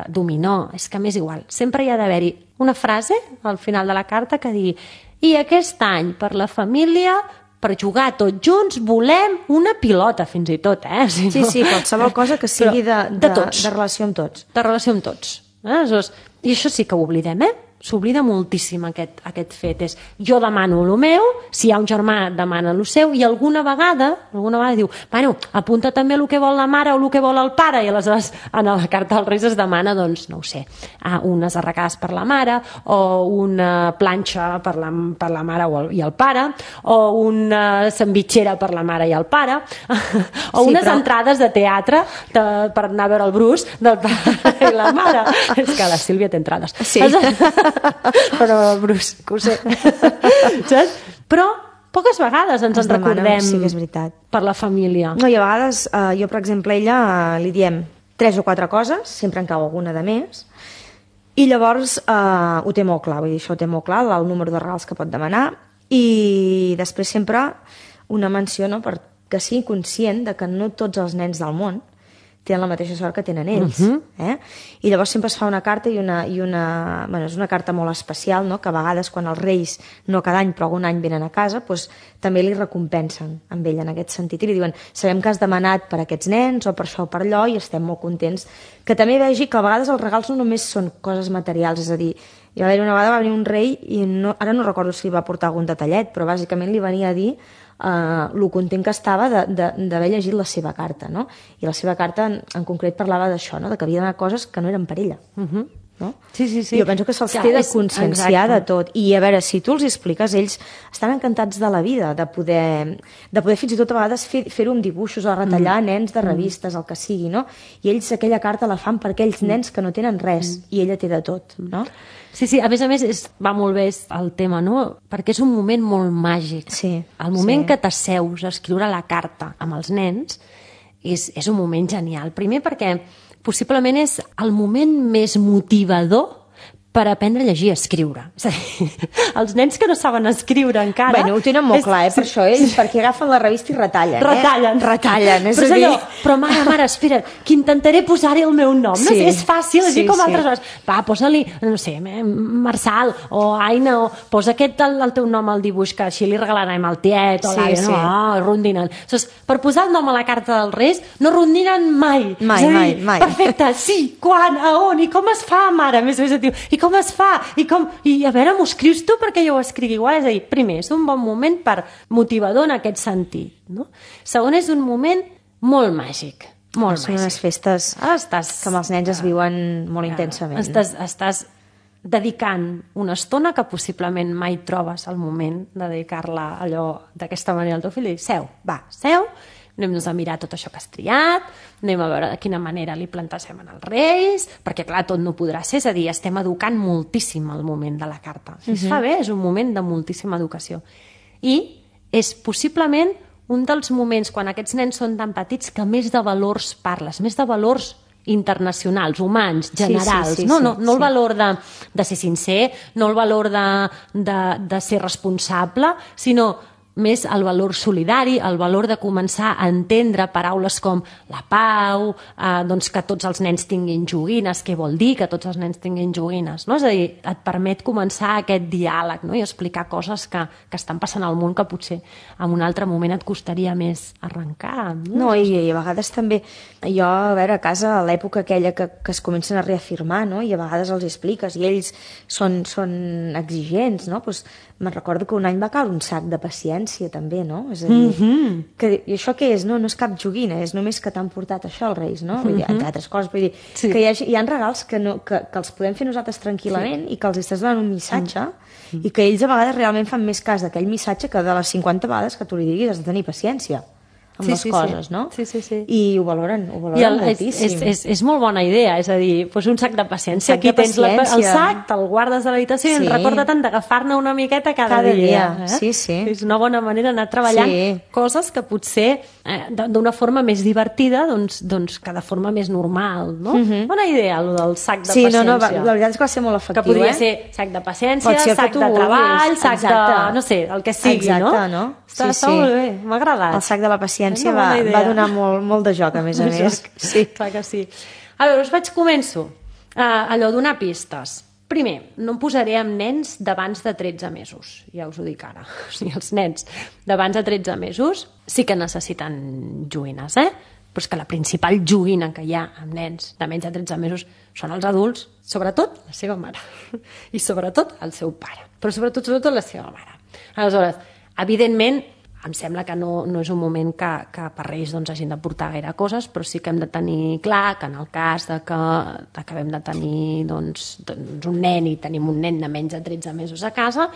dominó, és que m'és igual, sempre hi ha d'haver-hi una frase al final de la carta que digui i aquest any per la família, per jugar tots junts, volem una pilota, fins i tot, Sí, qualsevol cosa que sigui de relació amb tots. De relació amb tots. I això sí que ho oblidem, S'oblida moltíssim aquest fet. És jo demano el meu, si hi ha un germà demana el seu, i alguna vegada diu, bueno, apunta també el que vol la mare o el que vol el pare, i aleshores en la carta dels Reis es demana, doncs, no ho sé, unes arracades per la mare, o una planxa per la mare i el pare, o una sandvitxera per la mare i el pare, o unes entrades de teatre per anar a veure el Bruce del pare i la mare. És que la Sílvia té entrades. Sí. Però Bruce, que ho sé. Saps? Però poques vegades ens en recordem, sí que és veritat, per la família. No, i a vegades jo, per exemple, a ella li diem 3 o 4 coses, sempre en cau alguna de més, i llavors ho té molt clar, vull dir, això ho té molt clar, el número de regals que pot demanar, i després sempre una menció, no?, perquè sigui conscient de que no tots els nens del món tenen la mateixa sort que tenen ells. I llavors sempre es fa una carta és una carta molt especial, no?, que a vegades quan els Reis, no cada any però algun any venen a casa, doncs també li recompensen amb ell en aquest sentit i li diuen, sabem que has demanat per aquests nens o per això o per allò i estem molt contents. Que també vegi que a vegades els regals no només són coses materials, és a dir, una vegada va venir un rei i ara no recordo si li va portar algun detallet, però bàsicament li venia a dir lo content que estava d'haver llegit la seva carta, no? I la seva carta en concret parlava d'això, no?, de que havia d'anar coses que no eren per ella. No? Sí. Jo penso que se'ls té de conscienciar de tot. I a veure, si tu els expliques, ells estan encantats de la vida, de poder fins i tot a vegades fer-ho amb dibuixos o retallar nens de revistes, el que sigui, no? I ells aquella carta la fan per aquells nens que no tenen res i ella té de tot, no? Sí, a més va molt bé el tema, no? Perquè és un moment molt màgic. Sí. El moment que t'asseus a escriure la carta amb els nens és un moment genial. Primer perquè possiblement és el moment més motivador per aprendre a llegir i escriure. És a dir, els nens que no saben escriure encara... Bueno, ho tenen molt clar, per això ells, perquè agafen la revista i retallen. Retallen. És allò, però mare, espera, que intentaré posar-hi el meu nom. No sé, és fàcil, així com altres coses. Va, posa-li, no sé, Marçal o Aina, o posa el teu nom al dibuix, que així li regalarem al tiet o l'àvia, no, rondinen. Per posar el nom a la carta dels Reis, no rondinen mai. Mai. Perfecte, sí, quan, a on, i com es fa, mare? Més o menys, i com es fa? I a veure, m'ho escrius tu perquè jo ho escrigui igual. És a dir, primer, és un bon moment motivador en aquest sentit, no? Segon, és un moment molt màgic. Són unes festes que amb els nens es viuen molt intensament. Estàs dedicant una estona que possiblement mai trobes el moment de dedicar-la allò d'aquesta manera al teu fill i dir, seu, anem-nos a mirar tot això que has triat, anem a veure de quina manera li plantasem en els Reis, perquè clar, tot no podrà ser, és a dir, estem educant moltíssim el moment de la carta. Si es fa bé, és un moment de moltíssima educació. I és possiblement un dels moments, quan aquests nens són tan petits, que més de valors parles, més de valors internacionals, humans, generals, no el valor de ser sincer, no el valor de ser responsable, sinó més el valor solidari, el valor de començar a entendre paraules com la pau, doncs que tots els nens tinguin joguines, què vol dir que tots els nens tinguin joguines, no? És a dir, et permet començar aquest diàleg, no? I explicar coses que estan passant al món que potser en un altre moment et costaria més arrencar. No, i a vegades també, jo, a veure, a casa, a l'època aquella que es comencen a reafirmar, no? I a vegades els expliques, i ells són exigents, no? Doncs me'n recordo que un any va caure un sac de paciència, també, no? És a dir, i això què és? No és cap joguina, és només que t'han portat això els Reis, no? Vull dir, entre altres coses, vull dir, que hi ha regals que els podem fer nosaltres tranquil·lament i que els estàs donant un missatge i que ells a vegades realment fan més cas d'aquell missatge que de les 50 vegades que tu li diguis has de tenir paciència amb les coses, no? Sí. I ho valoren moltíssim. És molt bona idea, és a dir, pues un sac de paciència. Aquí tens el sac, te'l guardes a l'habitació i recorda-te'n d'agafar-ne una miqueta cada dia. Sí. És una bona manera d'anar treballant coses que potser d'una forma més divertida doncs que de forma més normal, no? Bona idea, el del sac de paciència. Sí, la veritat és que va ser molt efectiu. Que podria ser sac de paciència, sac de treball, sac de... no sé, el que sigui, no? Exacte, no? Està molt bé, m'ha agradat. El sac de la paciència va donar molt de joc, a més a més. Sí, clar que sí. A veure, començo. Allò, donar pistes. Primer, no em posaré amb nens d'abans de 13 mesos, ja us ho dic ara. O sigui, els nens d'abans de 13 mesos sí que necessiten joguines, però és que la principal joguina que hi ha amb nens de menys de 13 mesos són els adults, sobretot la seva mare, i sobretot el seu pare, però sobretot la seva mare. Aleshores, evidentment, em sembla que no és un moment que per Reis hagin de portar gaire coses, però sí que hem de tenir clar que en el cas que acabem de tenir un nen i tenim un nen de menys de 13 mesos a casa,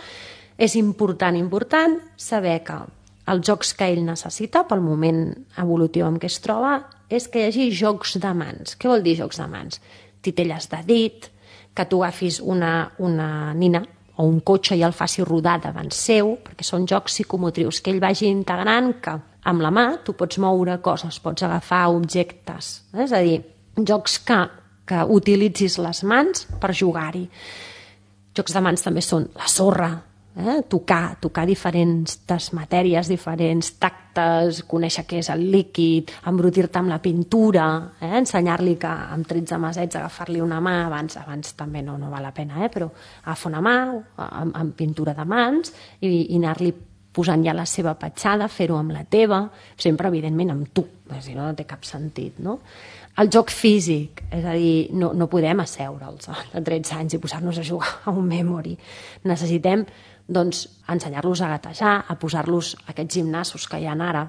és important saber que els jocs que ell necessita pel moment evolutiu en què es troba és que hi hagi jocs de mans. Què vol dir jocs de mans? Titelles de dit, que tu agafis una nina o un cotxe i el faci rodar davant seu, perquè són jocs psicomotrius, que ell vagi integrant que amb la mà tu pots moure coses, pots agafar objectes, és a dir, jocs que utilitzis les mans per jugar-hi. Jocs de mans també són la sorra, tocar diferents matèries, diferents tactes, conèixer què és el líquid, embrutir-te amb la pintura, ensenyar-li que amb 13 mesets agafar-li una mà, abans també no val la pena, però agafa una mà amb pintura de mans i anar-li posant ja la seva petjada, fer-ho amb la teva, sempre evidentment amb tu, si no té cap sentit, no? El joc físic, és a dir, no podem asseure'ls de 13 anys i posar-nos a jugar a un memory. Necessitem ensenyar-los a gatejar, a posar-los aquests gimnasos que hi ha ara,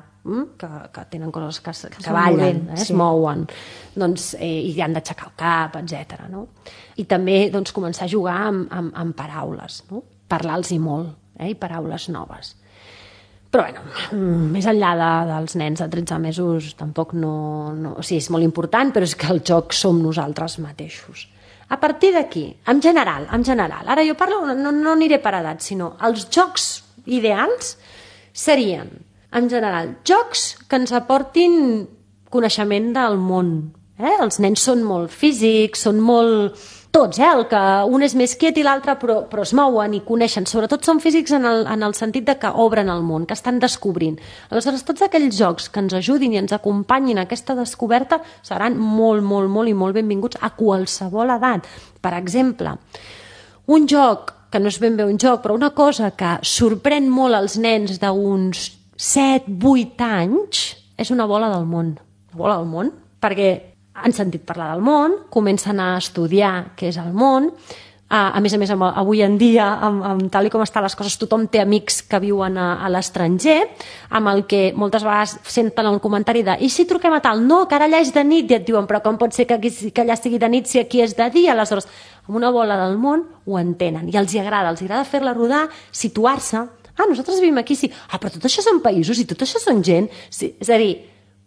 que tenen coses que ballen, es mouen, i han d'aixecar el cap, etc. I també començar a jugar amb paraules, parlar-los molt, i paraules noves. Però, més enllà dels nens de 13 mesos, tampoc o sigui, és molt important, però és que el joc som nosaltres mateixos. A partir d'aquí, en general, ara jo parlo, no aniré per edat, sinó els jocs ideals serien, en general, jocs que ens aportin coneixement del món. Els nens són molt físics, són molt... Tots, el que un és més quiet i l'altre però es mouen i coneixen. Sobretot són físics en el sentit de que obren el món, que estan descobrint. Aleshores, tots aquells jocs que ens ajudin i ens acompanyin a aquesta descoberta seran molt i molt benvinguts a qualsevol edat. Per exemple, un joc, que no és ben bé un joc, però una cosa que sorprèn molt els nens d'uns 7-8 anys és una bola del món. Una bola del món? Perquè han sentit parlar del món, comencen a estudiar què és el món. A més, avui en dia, tal com estan les coses, tothom té amics que viuen a l'estranger, amb el que moltes vegades senten el comentari de i si truquem a tal? No, que ara allà és de nit, i et diuen però com pot ser que allà sigui de nit si aquí és de dia? Aleshores, amb una bola del món ho entenen i els agrada fer-la rodar, situar-se. Nosaltres vivim aquí, sí. Però tot això són països i tot això són gent. Sí, és a dir,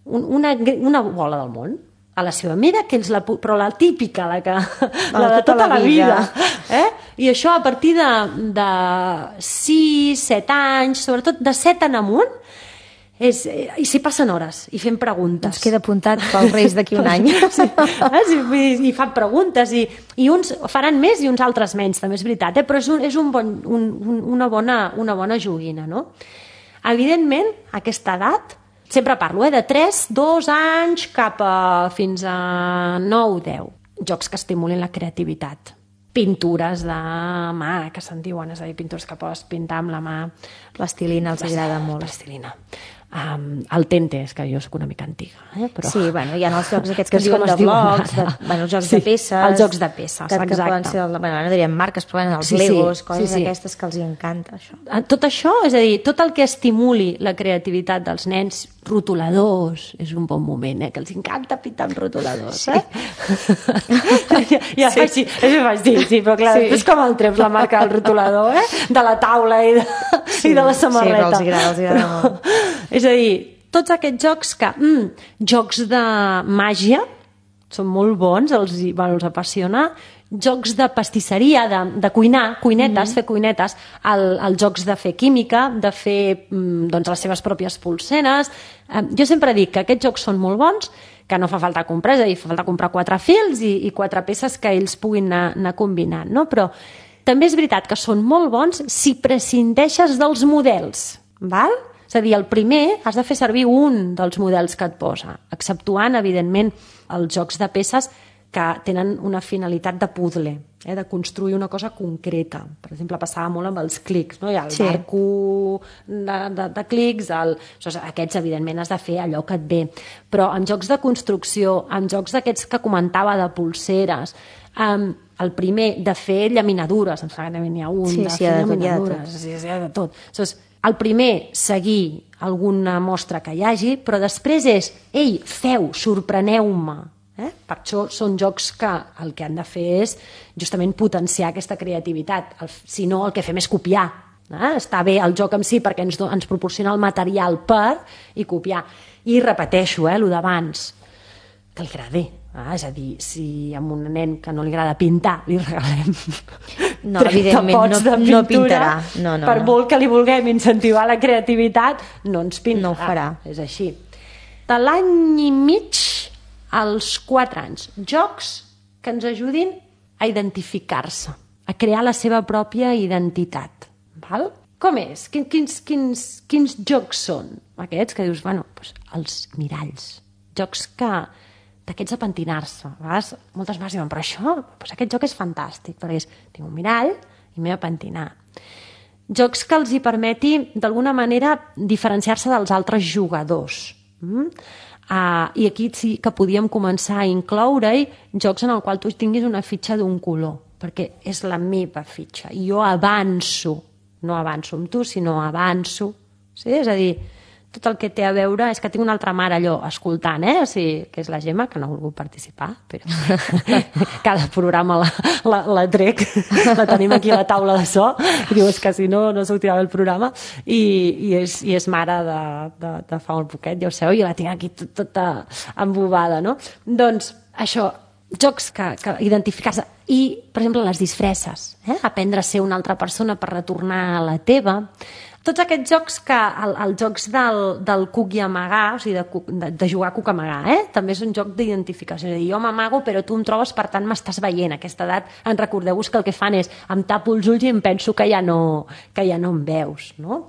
una bola del món a la seva mida, però la típica, la de tota la vida. I això a partir de 6, 7 anys, sobretot de 7 en amunt, i s'hi passen hores i fent preguntes. Ens queda apuntat pels Reis d'aquí un any. I fan preguntes i uns faran més i uns altres menys, també és veritat, però és una bona joguina, no? Evidentment, a aquesta edat, sempre parlo, de 3, 2 anys cap a fins a 9, 10. Jocs que estimulin la creativitat. Pintures de mà, que se'n diuen, és a dir, pintures que pots pintar amb la mà. Plastilina els agrada molt. Plastilina. El Tente, és que jo soc una mica antiga, però... Sí, bueno, hi ha els jocs aquests que es diuen de blocs, els jocs de peces... Els jocs de peces, exacte. Que poden ser, no diríem marques, però els Legos, coses aquestes que els encanta, això. Tot això, és a dir, tot el que estimuli la creativitat dels nens, rotuladors, és un bon moment, que els encanta pintar amb rotuladors, Ja faig sí, però clar, és com el treus la marca del rotulador, de la taula i de la samarreta. Sí, però els agrada molt. És a dir, tots aquests jocs que... jocs de màgia, són molt bons, els apassiona. Jocs de pastisseria, de cuinar, cuinetes, fer cuinetes, els jocs de fer química, de fer les seves pròpies polseres. Jo sempre dic que aquests jocs són molt bons, que no fa falta comprar, és a dir, fa falta comprar 4 fils i 4 peces que ells puguin anar combinant, no? Però també és veritat que són molt bons si prescindeixes dels models, val? És a dir, el primer has de fer servir un dels models que et posa, exceptuant, evidentment, els jocs de peces que tenen una finalitat de puzzle, de construir una cosa concreta. Per exemple, passava molt amb els clics, no? Hi ha el barco de clics, aquests, evidentment, has de fer allò que et ve. Però en jocs de construcció, en jocs d'aquests que comentava de polseres, el primer, de fer llaminadures, em sembla que n'hi ha un, de fer llaminadures, de tot. El primer, seguir alguna mostra que hi hagi, però després és, ei, feu, sorpreneu-me. Per això són jocs que el que han de fer és justament potenciar aquesta creativitat. Si no, el que fem és copiar. Està bé el joc en si perquè ens proporciona el material per i copiar. I repeteixo, el d'abans, que li agradi. És a dir, si a un nen que no li agrada pintar li regalem no, evidentment, no pintarà. Per molt que li vulguem incentivar la creativitat, no ens pintarà. No ho farà. És així. De l'any i mig als 4 anys. Jocs que ens ajudin a identificar-se, a crear la seva pròpia identitat. Val? Com és? Quins jocs són? Aquests que dius, els miralls. Jocs d'aquests a pentinar-se. Moltes vegades diuen, però això, aquest joc és fantàstic, perquè tinc un mirall i m'he de pentinar. Jocs que els hi permeti, d'alguna manera, diferenciar-se dels altres jugadors. I aquí sí que podíem començar a incloure-hi jocs en el qual tu tinguis una fitxa d'un color, perquè és la meva fitxa. I jo avanço, no avanço amb tu, sinó avanço. Sí? És a dir, tot el que té a veure és que tinc una altra mare allò escoltant, que és la Gemma, que no ha volgut participar, però cada programa la trec, la tenim aquí a la taula de so, i diu, és que si no sortirà el programa, i és mare de fa un poquet, ja ho sabeu, i la tinc aquí tota embobada, no? Doncs això, jocs que identificar-se, i, per exemple, les disfresses, aprendre a ser una altra persona per retornar a la teva. Tots aquests jocs els jocs del cuc i amagar, o sigui, de jugar a cuc amagar, també és un joc d'identificació. És a dir, jo m'amago, però tu em trobes, per tant m'estàs veient. A aquesta edat, recordeu-vos que el que fan és em tapo els ulls i em penso que ja no em veus, no?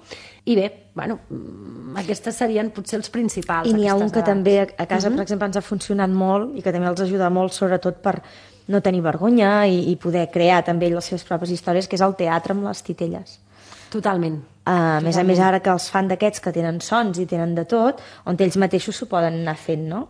I bé, aquestes serien potser els principals. I n'hi ha un que també a casa, per exemple, ens ha funcionat molt i que també els ajuda molt, sobretot per no tenir vergonya i poder crear també les seves pròpies històries, que és el teatre amb les titelles. Totalment. A més a més, ara que els fan d'aquests que tenen sons i tenen de tot, on ells mateixos s'ho poden anar fent, no?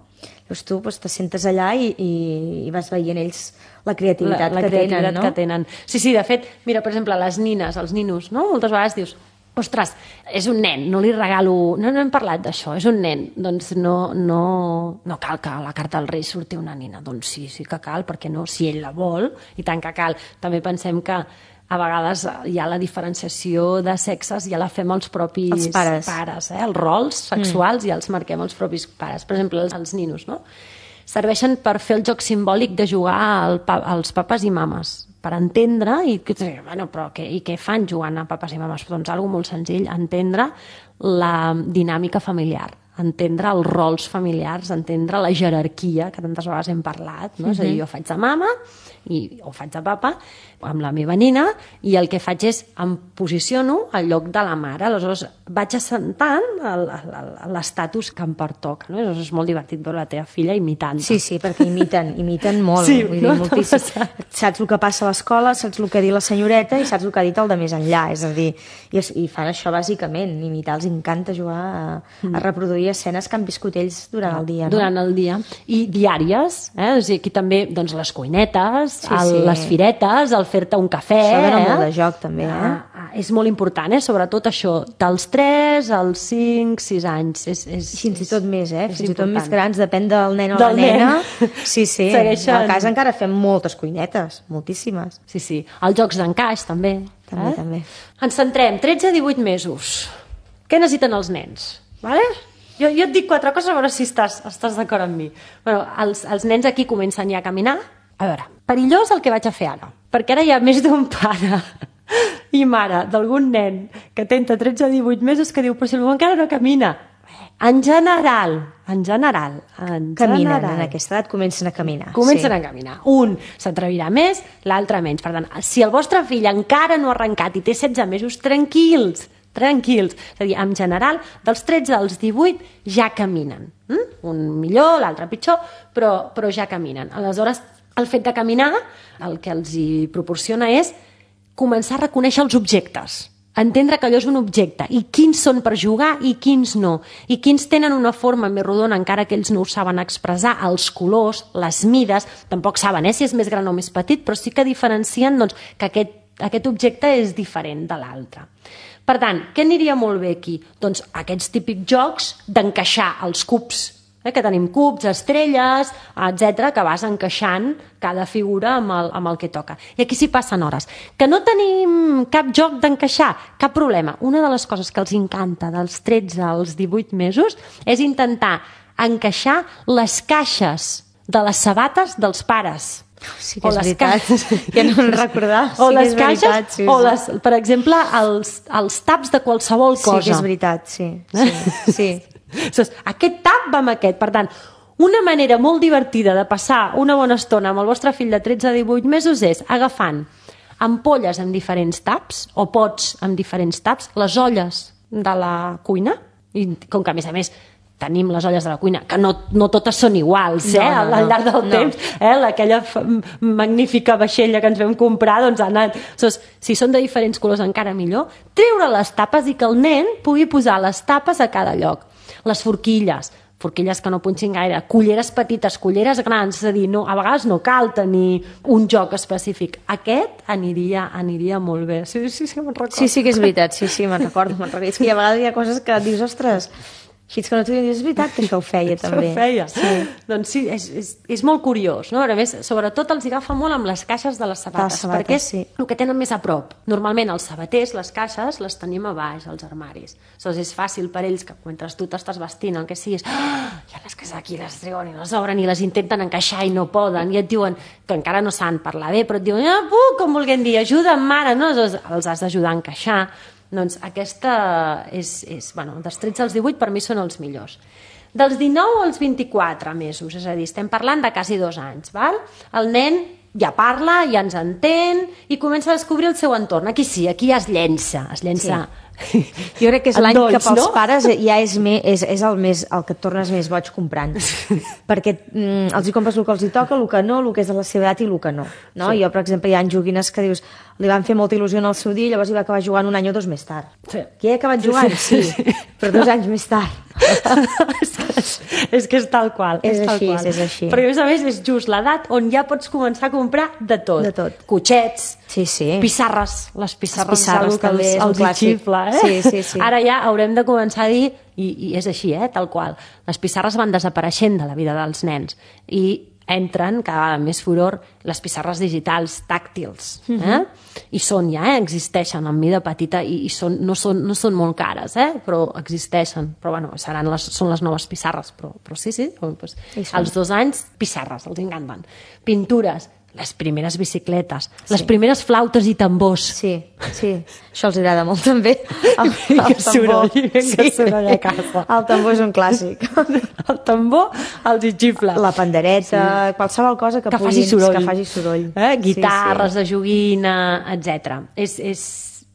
Llavors tu te sentes allà i vas veient ells la creativitat que tenen, no? Sí, de fet, mira, per exemple, les nines, els ninos, no? Moltes vegades dius, ostres, és un nen, no li regalo... No hem parlat d'això, és un nen. Doncs no cal que a la carta dels Reis surti una nina. Doncs sí que cal, perquè no, si ell la vol, i tant que cal. També pensem que a vegades hi ha la diferenciació de sexes, ja la fem els propis pares, els rols sexuals ja els marquem els propis pares. Per exemple, els ninos, no? serveixen per fer el joc simbòlic de jugar als papes i mames, per entendre bueno, però i què fan jugant a papes i mames? Doncs algo molt senzill, entendre la dinàmica familiar, entendre els rols familiars, entendre la jerarquia, que tantes vegades hem parlat, no? És a dir, jo faig de mama o faig de papa amb la meva nina i el que faig és em posiciono al lloc de la mare, aleshores vaig assentant l'estatus que em pertoca, no? És molt divertit veure la teva filla imitant. Sí, perquè imiten molt, sí, vull dir, moltíssim. Saps el que passa a l'escola, saps el que ha dit la senyoreta i saps el que ha dit el de més enllà, és a dir, i fan això bàsicament, imitar, els encanta jugar a reproduir escenes que han viscut ells durant el dia. Durant el dia. I diàries, o sigui, aquí també doncs, les cuinetes, les firetes, el fer-te un cafè. Això dona molt de joc, també. És molt important, sobretot això, dels 3 als 5, 6 anys. Fins i tot més, fins i tot més grans, depèn del nen o la nena. Sí. A casa encara fem moltes cuinetes, moltíssimes. Sí. Els jocs d'encaix, també. També. Ens centrem, 13 a 18 mesos. Què necessiten els nens? Vale? Jo et dic 4 coses, a veure si estàs d'acord amb mi. Bueno, els nens aquí comencen ja a caminar. A veure, perillós el que vaig a fer ara, perquè ara hi ha més d'un pare i mare d'algun nen que té entre 13 i 18 mesos que diu, però si el meu encara no camina. En general, caminen, en aquesta edat comencen a caminar. A caminar. Un s'atrevirà més, l'altre menys. Per tant, si el vostre fill encara no ha arrencat i té 16 mesos, tranquils. És a dir, en general, dels 13 als 18 ja caminen. Un millor, l'altre pitjor, però ja caminen. Aleshores, el fet de caminar, el que els hi proporciona és començar a reconèixer els objectes, entendre que allò és un objecte, i quins són per jugar i quins no, i quins tenen una forma més rodona, encara que ells no ho saben expressar, els colors, les mides, tampoc saben si és més gran o més petit, però sí que diferencien doncs, que aquest objecte és diferent de l'altre. Per tant, què aniria molt bé aquí? Doncs aquests típics jocs d'encaixar els cubs, que tenim cubs, estrelles, etc, que vas encaixant cada figura amb el que toca. I aquí s'hi passen hores. Que no tenim cap joc d'encaixar, cap problema. Una de les coses que els encanta dels 13 als 18 mesos és intentar encaixar les caixes de les sabates dels pares. Sí que és veritat, que no en recordar. O les caixes, o per exemple, els taps de qualsevol cosa. Sí que és veritat, sí. Aquest tap va amb aquest. Per tant, una manera molt divertida de passar una bona estona amb el vostre fill de 13 a 18 mesos és agafant ampolles amb diferents taps o pots amb diferents taps, les olles de la cuina, i com que a més tenim les olles de la cuina, que no totes són iguals, al llarg del temps, aquella magnífica vaixella que ens vam comprar, doncs ha anat... Si són de diferents colors encara millor, treure les tapes i que el nen pugui posar les tapes a cada lloc. Les forquilles que no punxin gaire, culleres petites, culleres grans, és a dir, a vegades no cal tenir un joc específic. Aquest aniria molt bé. Sí, me'n recordo. Sí que és veritat, me'n recordo. És que a vegades hi ha coses que dius, ostres, així que no t'ho dius, és veritat que això ho feia també. Això ho feia. Sí. Doncs sí, és molt curiós, no? A més, sobretot els agafa molt amb les caixes de les sabates, perquè és el que tenen més a prop. Normalment els sabaters, les caixes, les tenim a baix, als armaris. Aleshores és fàcil per ells que mentre tu t'estàs vestint, el que siguis, ja les que aquí les treuen i les obren i les intenten encaixar i no poden, i et diuen que encara no saben parlar bé, però et diuen, com vulguem dir, ajuda'm, mare, no? Els has d'ajudar a encaixar. Doncs aquesta dels 13 als 18 per mi són els millors. Dels 19 als 24 mesos, és a dir, estem parlant de quasi 2 anys, val? El nen ja parla, ja ens entén i comença a descobrir el seu entorn. Aquí ja es llença. Sí. Jo crec que és l'any que pels pares ja és el que et tornes més boig comprant, perquè els hi compres el que els hi toca, el que no, el que és de la seva edat i el que no. Sí. Jo, per exemple, hi ha joguines que dius li van fer molta il·lusió en el seu dia i llavors hi va acabar jugant 1 any o 2 més tard. Sí. Que he acabat jugant? Sí, però 2 anys més tard. És que és tal qual. És així. Perquè a més és just l'edat on ja pots començar a comprar de tot. Cotxets, pissarres. Les pissarres també és un clàssic. Xifla, Sí. Ara ja haurem de començar a dir, i és així, tal qual, les pissarres van desapareixent de la vida dels nens i entren cada vegada més furor les pissarres digitals tàctils. I són ja, existeixen en mida petita i no són molt cares, però existeixen. Però bueno, són les noves pissarres. Però sí, doncs, als 2 anys, pissarres, els encanten. Pintures, les primeres bicicletes, les primeres flautes i tambors. Sí, això els agrada molt també. El tambor. Soroll a casa. El tambor és un clàssic. El tambor els hi xifla. La pandereta, qualsevol cosa que faci soroll. Guitarres de joguina, etc.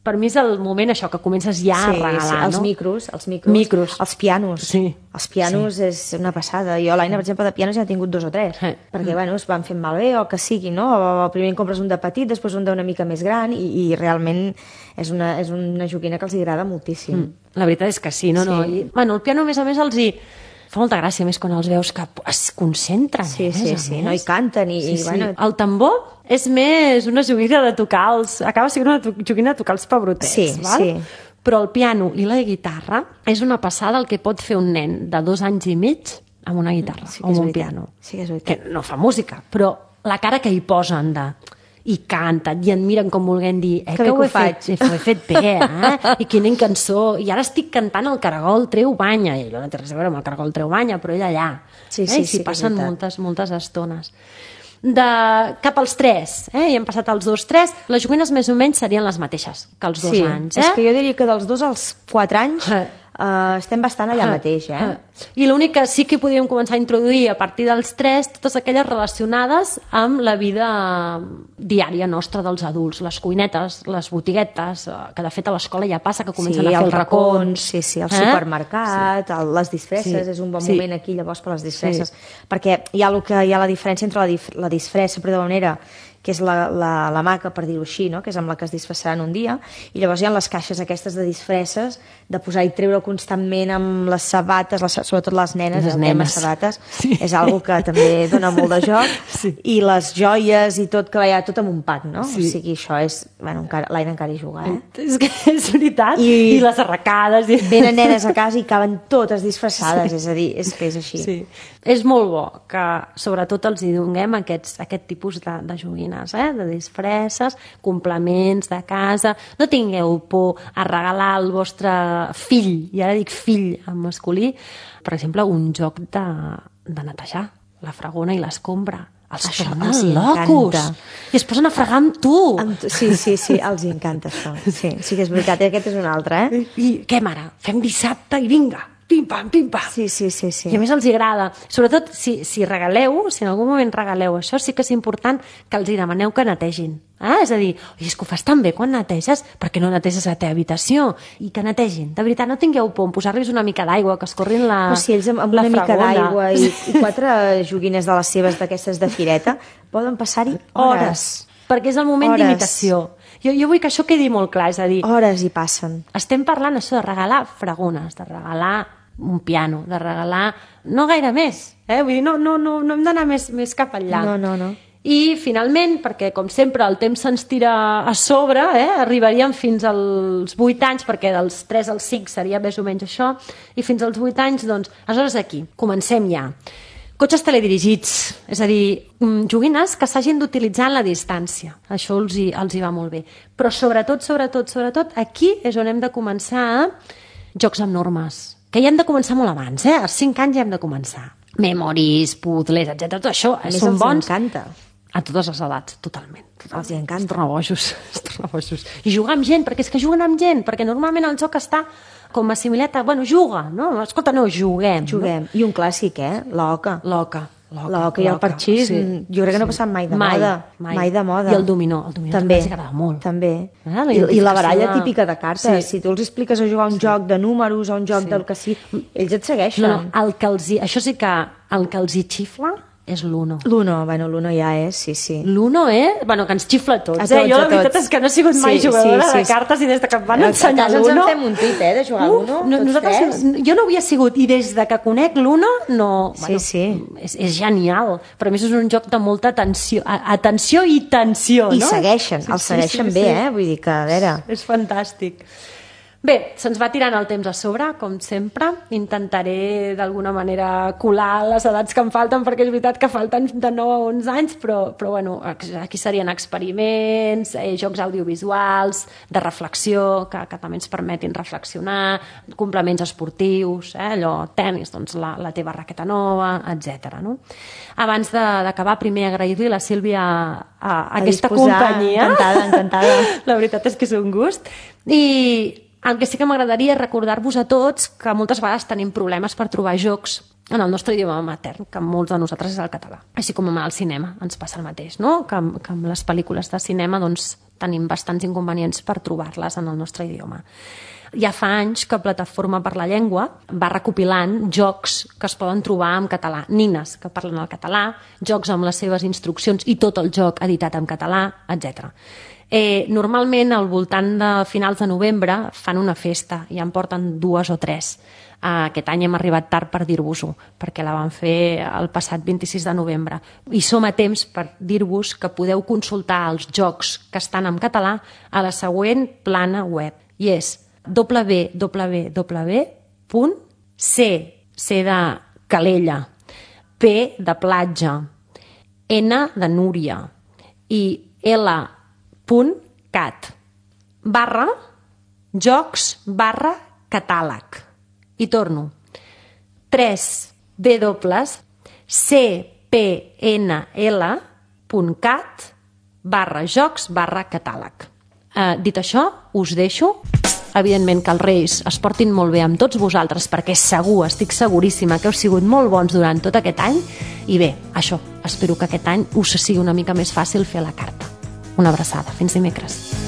Per mi és el moment això, que comences ja a regalar, els micros, els pianos. Sí. Els pianos és una passada. Jo l'Aina, per exemple, de pianos ja he tingut 2 o 3, perquè es van fent malbé o que sigui, no? O primer en compres un de petit, després un d'una mica més gran i realment és una joguina que els agrada moltíssim. La veritat és que sí, no? I, el piano, a més, els hi fa molta gràcia, més quan els veus que es concentren. Sí, no? I canten. Bueno... El tambor és més una joguina de tocar acaba sent una joguina de tocar els pebrotets, val? Però el piano i la guitarra és una passada el que pot fer un nen de 2 anys i mig amb una guitarra o amb un piano. Sí que és veritat. Que no fa música, però la cara que hi posen i canten, i en miren com volent dir que ho he fet bé, i quina cançó, i ara estic cantant el Caragol treu banya, i allò no té res a veure amb el Caragol treu banya, però ell allà i passen moltes estones. Cap als 3, i hem passat als 2-3, les joguines més o menys serien les mateixes que els 2 anys. És que jo diria que dels 2 als 4 anys estem bastant allà mateix. I l'únic que sí que podríem començar a introduir a partir dels 3, totes aquelles relacionades amb la vida diària nostra dels adults, les cuinetes, les botiguetes, que de fet a l'escola ja passa que comencen a fer els racons. El supermercat, les disfresses, és un bon moment aquí llavors per les disfresses, perquè hi ha la diferència entre la disfressa, per d'alguna manera, que és la maca, per dir-ho així, no? Que és amb la que es disfressaran un dia, i llavors hi ha les caixes aquestes de disfresses, de posar i treure constantment amb les sabates, sobretot les nenes, el tema sabates, és algo que també dona molt de joc, i les joies i tot, que hi ha tot amb un pack, no? O sigui, això és... Bueno, l'Aina encara hi juga, És que és veritat, i les arracades... Venen nenes a casa i acaben totes disfressades, és a dir, és que és així. És molt bo que, sobretot, els hi donem aquest tipus de joguines, de disfresses, complements de casa. No tingueu por a regalar al vostre fill, i ara dic fill en masculí, per exemple, un joc de netejar la fregona i l'escombra. Els tornen locos! I es posen a fregar amb tu! Sí, els encanta això. Sí que és veritat, aquest és un altre, I què, mare? Fem dissabte i vinga! Pim-pam, pim-pam. Sí. I a més els agrada. Sobretot, si regaleu, si en algun moment regaleu això, sí que és important que els hi demaneu que netegin. És a dir, és que ho fas tan bé quan neteges, perquè no neteges la teva habitació? I que netegin. De veritat, no tingueu por en posar-los una mica d'aigua, que escorrin la fregona. Si ells amb una mica d'aigua i 4 joguines de les seves d'aquestes de fireta, poden passar-hi hores. Perquè és el moment d'imitació. Jo vull que això quedi molt clar, és a dir... Hores hi passen. Estem parlant això de regalar fregones, de regalar un piano, de regalar... No gaire més, Vull dir, no hem d'anar més cap enllà. No. I, finalment, perquè, com sempre, el temps se'ns tira a sobre, arribaríem fins als 8 anys, perquè dels 3 als 5 seria més o menys això, i fins als 8 anys, doncs, aleshores aquí, comencem ja. Cotxes teledirigits, és a dir, joguines que s'hagin d'utilitzar en la distància. Això els hi va molt bé. Però sobretot, aquí és on hem de començar jocs amb normes, que ja hem de començar molt abans, als 5 anys ja hem de començar. Memoris, puzzles, etc. Tot això són bons. Encanta. A totes les edats, totalment. Els hi encanta. Els torna bojos. I jugar amb gent, perquè és que juguen amb gent, perquè normalment el joc està com assimilat a... Bueno, juga, no? Escolta, no, juguem. No? I un clàssic, l'oca. L'oca i el parxís, jo crec que no ha passat mai de moda. Mai de moda. I el dominó també els agrada molt. També. I la baralla típica de cartes. Si tu els expliques a jugar un joc de números o un joc del que sigui, ells et segueixen. Això sí que el que els hi xifla és l'Uno. L'Uno ja és, sí. L'Uno, bueno, que ens xifla a tots. Jo la veritat és que no he sigut mai jugadora de cartes i des que em van ensenyar l'Uno... Ens en fem un tuit, de jugar a l'Uno, tots 3. Jo no havia sigut, i des que conec l'Uno, no... Sí. És genial, però a més és un joc de molta atenció i tensió, no? I segueixen bé, vull dir que, a veure... És fantàstic. Bé, se'ns va tirant el temps a sobre, com sempre. Intentaré d'alguna manera colar les edats que em falten, perquè és veritat que falten de 9 a 11 anys, però bueno, aquí serien experiments, jocs audiovisuals, de reflexió, que també ens permetin reflexionar, complements esportius, allò, tenis, doncs la teva raqueta nova, etc. No? Abans d'acabar, primer agrair-li a la Sílvia aquesta companyia. Encantada. La veritat és que és un gust. I el que sí que m'agradaria és recordar-vos a tots que moltes vegades tenim problemes per trobar jocs en el nostre idioma matern, que molts de nosaltres és el català. Així com amb el cinema ens passa el mateix, no? Que amb les pel·lícules de cinema doncs, tenim bastants inconvenients per trobar-les en el nostre idioma. Ja fa anys que Plataforma per la Llengua va recopilant jocs que es poden trobar en català, nines que parlen el català, jocs amb les seves instruccions i tot el joc editat en català, etc. Normalment al voltant de finals de novembre fan una festa i en porten 2 o 3. Aquest any hem arribat tard per dir-vos-ho, perquè la van fer el passat 26 de novembre. I som a temps per dir-vos que podeu consultar els jocs que estan en català a la següent plana web, i és c de Calella, P de platja, N de Núria i l.cat/jocs/catàleg. I torno. 3wpnl.cat/jocs/catàleg. Dit això, us deixo. Evidentment que els Reis es portin molt bé amb tots vosaltres, perquè segur, estic seguríssima que heu sigut molt bons durant tot aquest any. I bé, això, espero que aquest any us sigui una mica més fàcil fer la carta. Una abraçada. Fins dimecres.